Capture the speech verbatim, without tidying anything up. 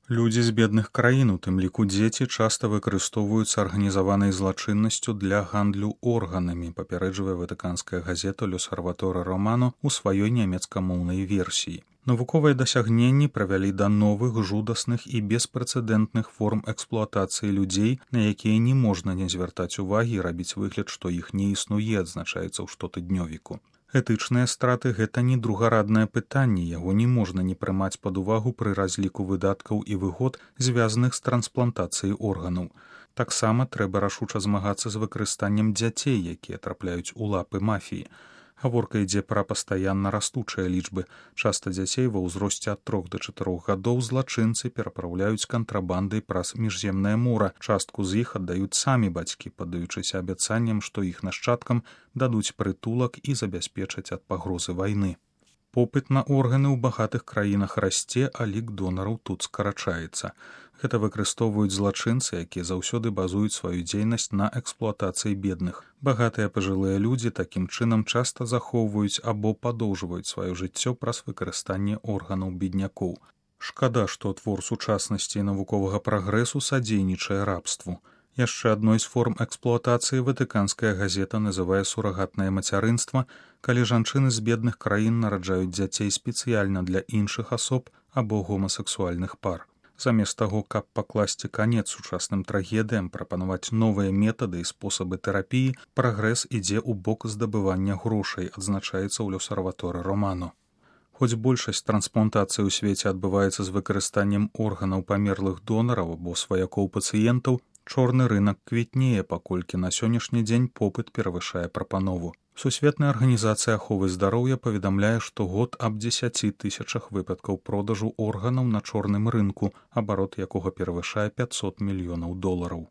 Людзі з бедных краін, у тым ліку дзеці, часта выкарыстоўваюцца арганізаванай злачыннасцю для гандлю органамі, папярэджвае ватыканская газета «L'Osservatore Romano» у сваёй нямецкамоўнай версіі. Навуковыя дасягненні правялі да новых, жудасных і беспрэцэдэнтных форм эксплуатацыі людзей, на якія не можна не звяртаць увагі і рабіць выгляд, што іх не існуе, адзначаецца ў штотыднёвіку. Этычныя страты – гэта не другараднае пытанне, яго не можна не прымаць пад увагу пры разліку выдаткаў і выгод, звязаных з трансплантацыяй органаў. Таксама трэба рашуча змагацца з выкарыстаннем дзяцей, якія трапляюць у лапы мафіі. Гаворка ідзе пра пастаянна растучыя лічбы. Часта дзяцей ва ўзросце ад трох да чатырох гадоў злачынцы перапраўляюць кантрабандай праз міжземнае мора. Частку з іх аддаюць самі бацькі, паддаючыся абяцанням, што іх нашчадкам дадуць прытулак і забяспечаць ад пагрозы вайны. Попыт на органы ў багатых краінах расце, а лік донараў тут скарачаецца. Гэта выкарыстоўваюць злачынцы, якія заўсёды базуюць сваю дзейнасць на эксплуатацыі бедных. Багатыя пажылыя людзі такім чынам часта захоўваюць або падоўжваюць сваё жыццё праз выкарыстанне органаў беднякоў. Шкада, што твор сучаснасці і навуковага прагрэсу садзейнічае рабству. Яшчэ адной з форм эксплуатацыі ватыканская газета называе сурагатнае мацярынства, калі жанчыны з бедных краін нараджаюць дзяцей спецыяльна для іншых асоб або гомасексуальных пар. Замест таго, каб пакласці канец сучасным трагедыям, прапанаваць новыя метады і спосабы тэрапіі, прагрэс ідзе ў бок здабывання грошай, адзначаецца ў «L'Osservatore Romano». Хоць большасць трансплантацый у свеце адбываецца з выкарыстаннем органаў памерлых донараў або сваякоў пацыентаў, чорны рынак квітнее, паколькі на сённяшні дзень попыт перавышае прапанову. Сусветная арганізацыя аховы здароўя паведамляе штогод аб дзесяці тысячах выпадкаў продажу органаў на чорным рынку, абарот якога перавышае пяцьсот мільёнаў долараў.